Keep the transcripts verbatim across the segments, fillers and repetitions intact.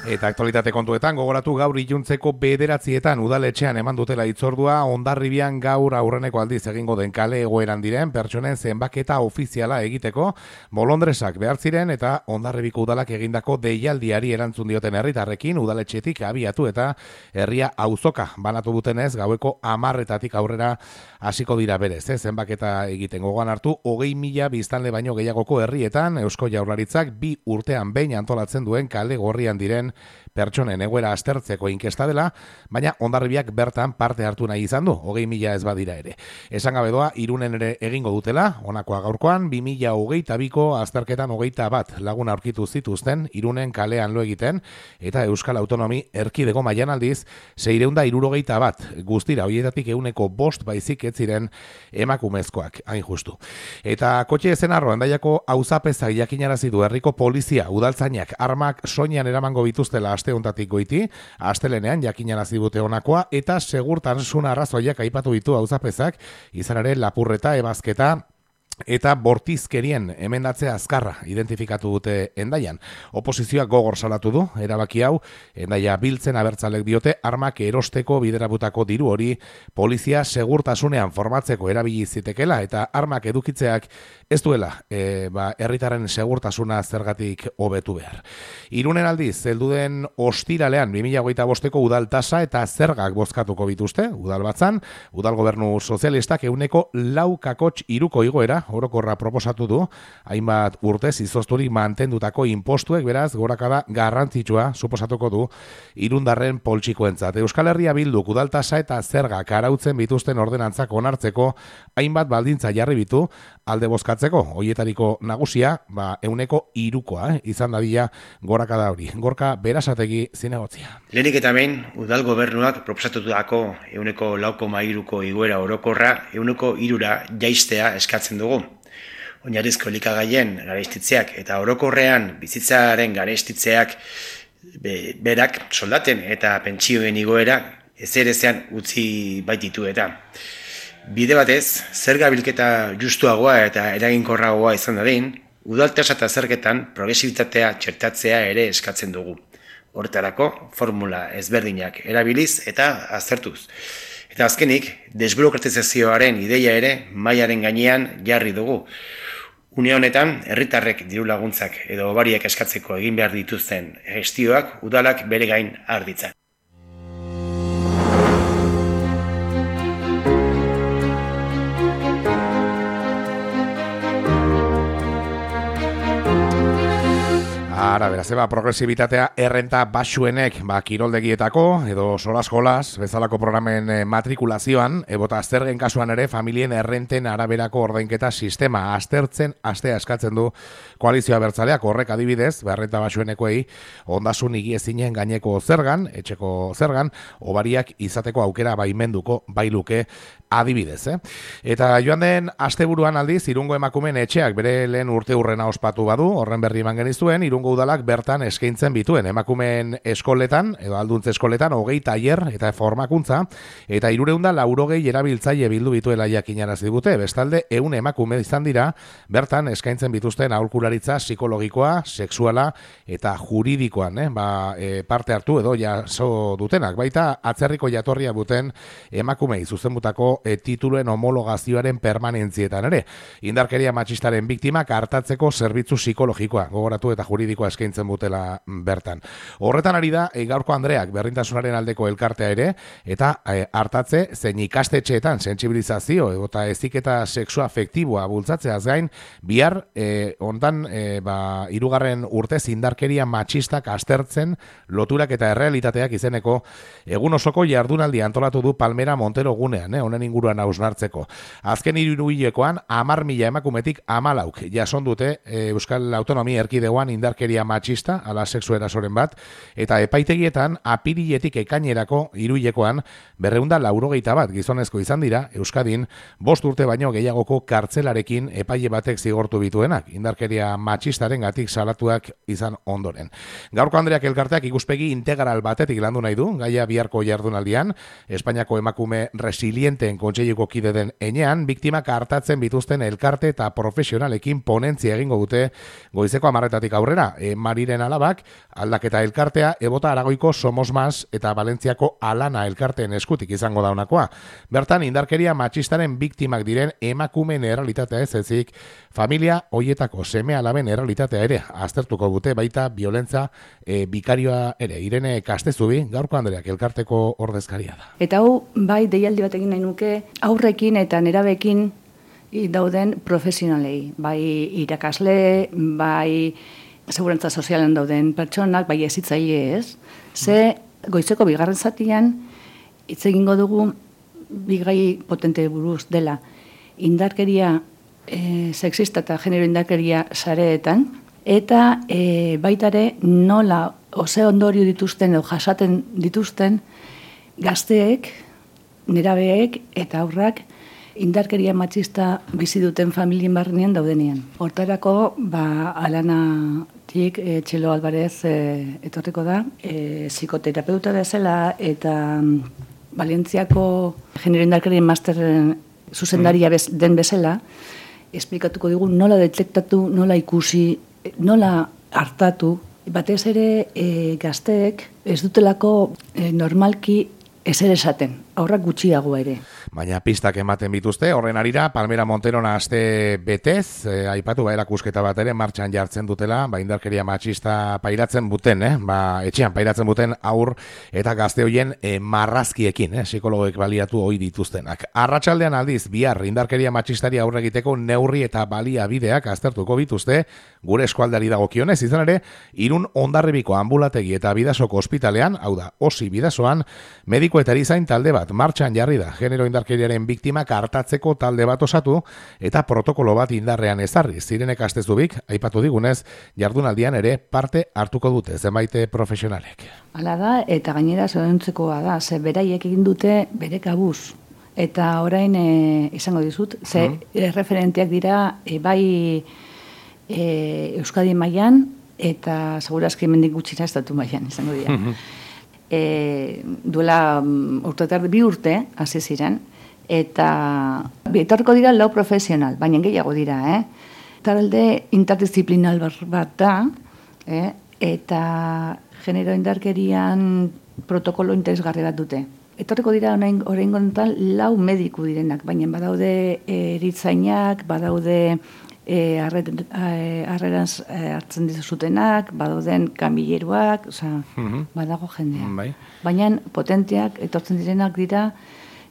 Eta aktualitate kontuetan gogoratu gaur iluntzeko bederatzietan udaletxean eman dutela hitzordua Hondarribian gaur aurreneko aldiz egingo den kale egoeran diren pertsonen zenbaketa ofiziala egiteko bolondresak behar ziren eta Hondarribiko udalak egindako deialdiari erantzun dioten herritarrekin udaletxetik abiatu eta herria auzoka banatu dutenez gaueko hamarretatik aurrera hasiko dira berez, eh? Zenbaketa egiten gogoan hartu hogei mila biztanle baino gehiagoko herrietan Eusko Jaurlaritzak bi urtean behin antolatzen duen kale gorrian diren pertsonen egoera aztertzeko inkesta dela, baina Hondarribiak bertan parte hartu nahi izan du, hogei mila ez badira ere. Esan gabe doa, Irunen ere egingo dutela, honakoa gaurkoan, bi mila hogeita biko azterketan hogeita bat lagun aurkitu zituzten, Irunen kalean lo egiten, eta Euskal Autonomi erkidego mailan aldiz, seireunda irurogeita bat, guztira, hoietatik euneko bost baizik ez ziren emakumezkoak, hain justu. Eta kotxe ezen arro, Hendaiako auzapezak jakinarazi du herriko polizia, udaltzainak, armak soinean eramango bituztela aste hontatik goiti, astelenean jakinarazi dute honakoa, eta segurtasun arrazoiak aipatu ditu auzapezak, izan ere lapurreta, ebazketa, eta bortizkerien emendatzea azkarra identifikatu dute Hendaian. Oposizioak gogor salatu du, erabaki hau, Hendaia biltzen abertzalek diote, armak erosteko biderabutako diru hori polizia segurtasunean formatzeko erabili zitekela, eta armak edukitzeak ez duela e, ba, herritarren segurtasuna zergatik hobetu behar. Irunen aldiz, helduden ostiralean bi mila hogeita bosteko udal tasa eta zergak bozkatuko bituzte, udal batzan, udal gobernu sozialistak euneko lau kakots iruko igoera, orokorra proposatu du, hainbat urtez izozturik mantendutako impostuek beraz gorakada garrantzitsua suposatuko du irundarren poltsikoentzat. Euskal Herria Bilduk udaltasa eta zergak arautzen bituzten ordenantzak onartzeko hainbat baldintza jarri bitu alde bozkatzeko, hoietariko nagusia, ba, euneko irukoa, eh, izan dadila gorakada hori. Gorka Berasategi zinegotzia. Lehenik eta behin, udal gobernuak proposatutako euneko lau koma hiruko igoera orokorra euneko hirura jaistea eskatzen dugu. Oinarrizko elikagaien garestitzeak eta orokorrean bizitzaren garestitzeak be, berak soldaten eta pentsioen igoera ezerezean utzi baititu eta. Bide batez, zerga bilketa justuagoa eta eraginkorragoa izan dadin, udaltasa eta zergetan progresibitatea txertatzea ere eskatzen dugu. Horretarako, formula ezberdinak erabiliz eta aztertuz. Eta azkenik, desburokratizazioaren ideia ere mailaren gainean jarri dugu. Une honetan, herritarrek diru laguntzak edo hobariak eskatzeko egin behar dituzten gestioak udalak bere gain har ditzan. Ara, beraz, eba, progresibitatea errenta baxuenek, ba, kiroldegietako, edo solas-jolas, bezalako programen eh, matrikulazioan, ebota zergen kasuan ere, familien errenten araberako ordainketa sistema aztertzen, astea eskatzen du koalizioa bertzaleak, horrek adibidez, ba, errenta baxuenekoei, ondasun higiezinen gaineko zergan, etxeko zergan, hobariak izateko aukera baimenduko bailuke adibidez, eh? Eta joan den asteburuan aldiz, Irungo emakumeen etxeak bere lehen urte hurrena ospatu badu, horren berri eman genizuen, Irungo udalak bertan eskaintzen bituen emakumeen eskoletan, edo alduntze eskoletan, hogei tailer eta formakuntza, eta hirureunda laurogei erabiltzaile bildu bituela jakinarazi dute, bestalde ehun emakume izan dira, bertan eskaintzen bituzten aholkularitza psikologikoa, sexuala eta juridikoan, eh? ba, e, parte hartu edo jaso dutenak, baita atzerriko jatorria buten emakumei zuzenbutako e, tituluen homologazioaren permanentzietan ere. Indarkeria matxistaren biktimak hartatzeko zerbitzu psikologikoa, gogoratu eta juridikoa eskaintzen butela bertan. Horretan ari da, e, gaurko Andreak berrintasunaren aldeko elkartea ere, eta e, hartatze zein ikastetxeetan sentsibilizazio eta heziketa sexu afektiboa bultzatzeaz gain, bihar e, ondan e, ba, hirugarren urtez indarkeria matxistak aztertzen loturak eta errealitateak izeneko egun osoko jardunaldi antolatu du Palmera Montero gunean, eh, honen inguruan hausnartzeko. Azken hiruhilekoan hamar mila emakumetik hamalauk jason dute e, Euskal Autonomia Erkidegoan indarkeria matxista, ala sexu erasoren bat, eta epaitegietan apiriletik ekainerako hiruhilekoan berreunda laurogeita bat gizonezko izan dira Euskadin bost urte baino gehiagoko kartzelarekin epaile batek zigortu bituenak, indarkeria matxistaren gatik salatuak izan ondoren. Gaurko Andreak elkarteak ikuspegi integral batetik landu nahi du, gaia biharko jardunaldian, Espainiako emakume resilienteen kontseiluko kide den enean, biktimak hartatzen bituzten elkarte eta profesionalekin ponentzia egingo dute goizeko hamarretatik aurrera, e, Mariren alabak, aldaketa elkartea, ebota Aragoiko Somos Mas eta Valentziako Alana elkarteen eskutik izango daunakoa. Bertan, indarkeria matxistaren biktimak diren emakumeen errealitatea ez ezik, familia hoietako seme alaben errealitatea ere aztertuko dute baita biolentza e, bikarioa ere. Irene Kastezubi, gaurko Andreak elkarteko ordezkaria da. Eta hau, bai, deialdi bat egin nahi nuke, aurrekin eta nerabekin dauden profesionalei, bai irakasle, bai segurantza sozialen dauden pertsonak, bai ezitzaile ez. Ze goizeko bigarren zatian, hitz egingo dugu bigai potente buruz dela indarkeria e, sexista eta genero indarkeria sareetan, eta e, baitare nola ose ondorio dituzten edo jasaten dituzten gazteek, nerabeek eta aurrak indarkeria matxista bizi duten familien barnean daudenean. Hortarako, ba, Alanatik e, Txelo Alvarez e, etorriko da, e, psikoterapeuta bezala eta Valentziako genero indarkerien masterren zuzendaria bez, den bezala, esplikatuko digu nola detektatu, nola ikusi, nola hartatu, batez ere e, gazteek ez dutelako e, normalki ezer esaten, aurrak gutxiago ere. Baina pistak ematen bituzte, horren arira, Palmera Monterona aste betez, eh, aipatu ba, erakusketa bat ere martxan jartzen dutela, ba, indarkeria matxista pairatzen buten, eh? ba, etxean pairatzen buten aur eta gazte hoien eh, marrazkiekin, eh? psikologoek baliatu hoi dituztenak. Arratsaldean aldiz, bihar indarkeria matxistari aurre egiteko neurri eta baliabideak aztertuko bituzte, gure eskualdari dagokionez, izan ere, Irun Hondarribiko ambulategi eta Bidasoko ospitalean, hau da, osi Bidasoan, mediko eta erizain talde bat martxan jarri da, genero indarkeriaren biktimak hartatzeko talde bat osatu eta protokolo bat indarrean ezarri. Irene Kastezubik, aipatu digunez, jardunaldian ere parte hartuko dute zenbait profesionalek. Hala da, eta gainera zoriontzekoa da, ze beraiek egin dute bere kabuz. Eta orain e, izango dizut, ze mm. referenteak dira e, bai e, Euskadi mailan eta segurazki hemendik gutxira estatu mailan izango dira. Mm-hmm. E, duela um, urtetar bi urte hasi ziren eta etorriko dira lau profesional, baina gehiago dira, eh? Talde interdisciplinal bat da, eh? Eta genero indarkerian protokolo interesgarri bat dute. Etorriko dira oraingo honetan lau mediku direnak, baina badaude eritzainak, badaude E, harreraz e, hartzen dizutenak, badauden kamilleruak, osea, mm-hmm. badago jendea. Bai. Baina potenteak, etortzen direnak dira,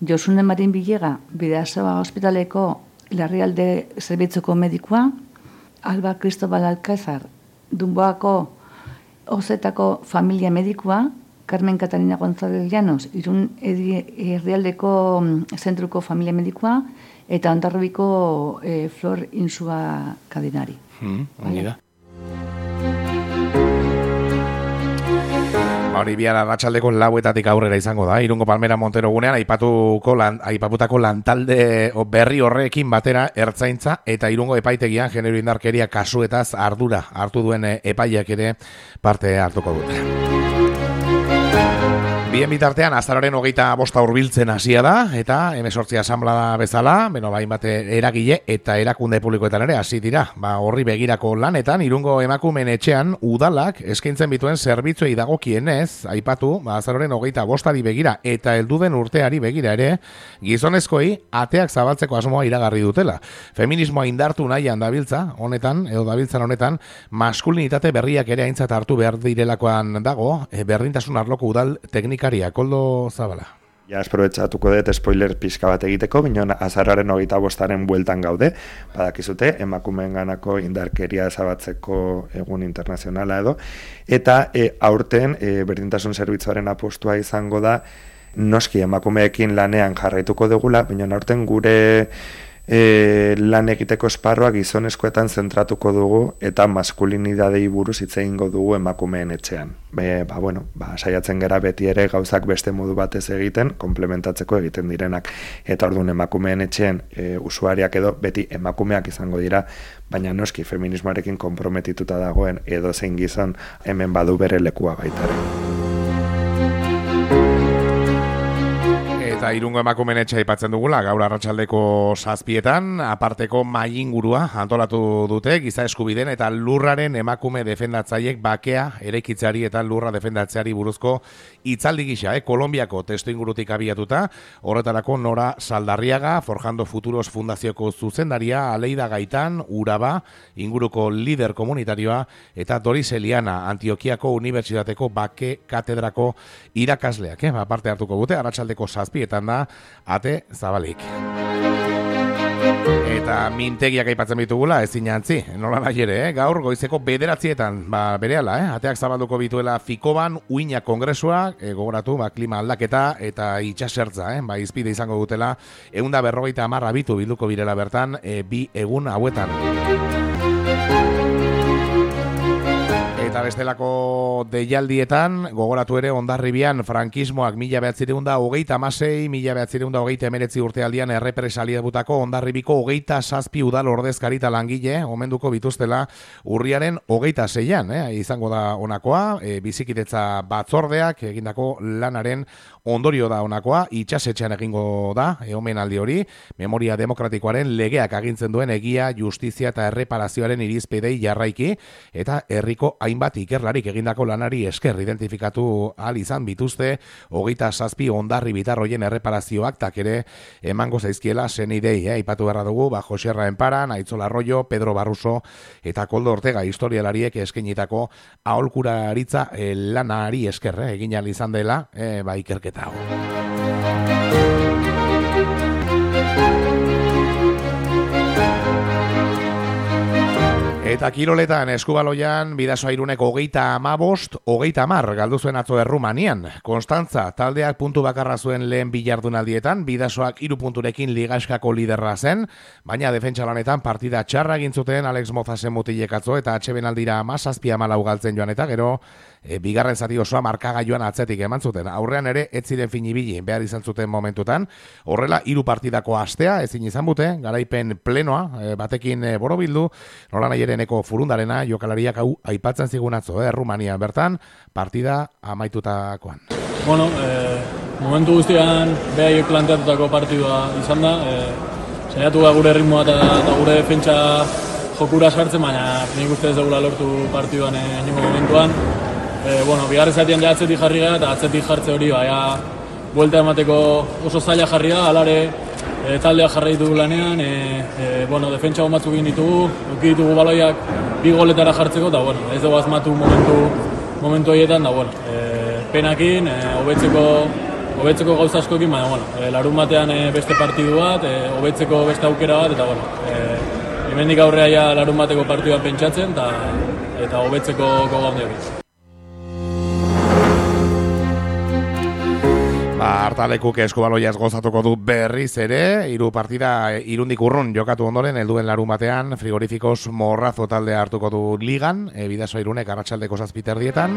Josune Marin Bilega, Bidasoa Hospitaleko larrialde zerbitzuko medikua, Alba Cristobal Alcázar, Dunboako Ozetako familia medikua, Carmen Catalina González Llanos, Irun herrialdeko zentruko familia medikua, eta Hondarribiko e, Flor Insua Kadinari. Mm, ongi da. Hori bihar arratsaldeko lauetatik aurrera izango da. Irungo Palmera Montero gunean aipatuko lan, aipaputako lantalde berri horrekin batera ertzaintza eta Irungo epaitegian genero indarkeria kasuetaz ardura hartu duen epaileak ere parte hartuko dute. Bien bitartean, azaroren hogeita bosta hurbiltzen hasia da, eta hemezortzi asanblada bezala, beno, bain bate eragile eta erakunde publikoetan ere hasi dira. Ba, horri begirako lanetan, Irungo emakumeen etxean, udalak eskaintzen bituen zerbitzuei dagokienez, aipatu, ba, azaroren hogeita bostari begira eta helduden urteari begira ere, gizonezkoi ateak zabaltzeko asmoa iragarri dutela. Feminismoa indartu nahian dabiltza, honetan, edo dabiltzan honetan, maskulinitate berriak ere aintzat hartu behar direlakoan dago, e, berdintasun arloko udal teknika Koldo Zabala. Ja, esprobetxatuko dut spoiler pixka bat egiteko, binon azarraren hogeita bostaren bueltan gaude, badakizute, emakumeen ganako indarkeria ezabatzeko egun internazionala edo, eta e, aurten e, berdintasun zerbitzuaren apostua izango da, noski emakumeekin lanean jarraituko dugula, binon aurten gure E, lan egiteko esparroa gizonezkoetan zentratuko dugu eta maskulinidadei buruz hitz egingo dugu emakumeen etxean. Be, ba, bueno, ba, saiatzen gera beti ere gauzak beste modu batez egiten, komplementatzeko egiten direnak. Eta orduan emakumeen etxean e, usuariak edo beti emakumeak izango dira, baina noski feminismoarekin konprometituta dagoen edo zein gizon hemen badu bere lekua baitaren. Eta Irungo emakumeen etxea aipatzen dugula, gaur arratsaldeko zazpietan, aparteko mahai ingurua antolatu dute, giza eskubideen eta lurraren emakume defendatzaiek bakea eraikitzeari eta lurra defendatzeari buruzko hitzaldi gisa, eh? Kolonbiako testu ingurutik abiatuta, horretarako Nora Saldarriaga, Forjando Futuros Fundazioko zuzendaria, Aleida Gaitan, Uraba, inguruko lider komunitarioa, eta Doris Eliana, Antiokiako Unibertsitateko bake katedrako irakasleak, eh? Aparte hartuko dute, arratsaldeko zazpietan da, ate zabalik. Eta mintegiak aipatzen bitugula, ezin jantzi, nola nahi ere, eh? Gaur goizeko bederatzietan, ba, berehala, eh? Ateak zabalduko bituela Fikoban, Uina Kongresua, e, gogoratu, ba, klima aldaketa eta itxasertza, eh? Ba, izpide izango dutela, ehunda berrogeita hamar abitu bilduko birela bertan, e, bi egun hauetan. Eta bestelako deialdietan, gogoratu ere Hondarribian frankismoak mila bederatziehun eta hogeita hamasei, mila bederatziehun eta hogeita hemeretzi urtealdian errepresaliatutako Hondarribiko hogeita zazpi udal ordezkari eta langile omenduko bituztela urriaren hogeita seian, eh? Izango da honakoa, e, bizikidetza batzordeak egindako lanaren ondorio da honakoa, itxasetxean egingo da, e, omenaldi hori, memoria demokratikoaren legeak agintzen duen egia, justizia eta erreparazioaren irizpidei jarraiki, eta herriko hainbat ikerlarik egindako lanari esker identifikatu ahal izan bituzte hogeita zazpi Hondarribi bitarroien erreparazioak tak ere emango zaizkiela senidei, eh? Aipatu beharra dugu, ba, Jose Arraenparan, Aitzola Arroyo, Pedro Barruso eta Koldo Ortega historialariek eskainitako aholkularitza eh, lanari esker, eh? Egin ahal izan dela, eh, ba, ikerketa hau. Eta kiroletan eskubaloian Bidasoa Iruneko hogeita hamabost, hogeita hamar galdu zuen atzo Errumanian. Konstantza taldeak puntu bakarra zuen lehen bilardunaldietan, Bidasoak hiru punturekin ligaskako liderra zen, baina defentsa lanetan partida txarra egin zuten Alex Mozasen mutilek atzo eta H B aldira hamazazpi hamalau galtzen joan eta gero e, bigarren zati osoa markagailuan atzetik eman zuten. Aurrean ere ez ziren finibili behar izan zuten momentutan. Horrela hiru partidako astea ezin izan bute, garaipen plenoa e, batekin e, borobildu, nola nahi ere neko furundarena jokalariak hau aipatzen zigun atzo, eh, Errumanian bertan, partida amaitutakoan. Bueno, eh, momentu guztian behaiek planteatutako partidua izan da, eh, saiatu da gure ritmoa eta, eta gure defentsa jokura sartzen, baina nik uste ez dugula lortu partiduan inongo momentuan. Eh, bueno, bigarren zatian ja atzetik jarri gara eta atzetik jartze hori baina buelta emateko oso zaila jarri da, alare e, taldea jarraitu du lanean, e, e, bueno, defentsa batzuk egin ditugu, eduki ditugu baloiak bi goletara jartzeko, eta bueno, ez dugu asmatu momentu, momentu horietan, da bueno, e, penakin, e, hobetzeko, hobetzeko gauza askoekin, baina bueno, e, larun batean e, beste partidu bat, e, hobetzeko beste aukera bat, eta bueno, e, hemendik aurrea ja larun bateko partidua pentsatzen, eta eta hobetzeko gogo handiak. Hartalekuk eskubaloiaz gozatuko du berriz ere, hiru partida Irundik urrun jokatu ondoren, helduen larun batean, Frigorifikos Morrazo taldea hartuko du ligan, e, Bidasoa Irunek arratsaldeko zazpiterdietan,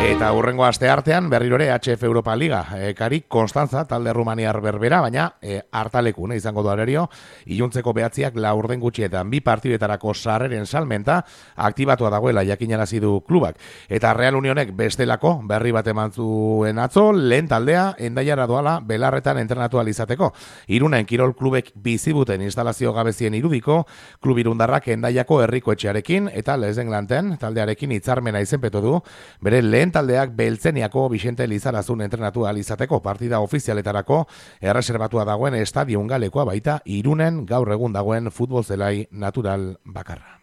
eta hurrengo aste artean berrirore H F Europa Liga, e, Karik Konstantza talde rumaniar berbera, baina e, hartalekun e, izango du arerio, iluntzeko behatziak laurden gutxietan, bi partidetarako sarreren salmenta aktibatua dagoela jakinarazi du klubak, eta Real Unionek bestelako berri bat eman zuen atzo, lehen taldea Endaiara doala belarretan entrenatu izateko. Irunen kirol klubek bizibuten instalazio gabezien irudiko, klub irundarrak Endaiako herriko etxearekin eta Lezenglanten taldearekin hitzarmena izenpetu du, bere lehen taldeak Beltzeniako Vicente Lizarazun entrenatu izateko partida ofizialetarako erreserbatua dagoen estadion galekoa baita Irunen gaur egun dagoen futbol zelai natural bakarra.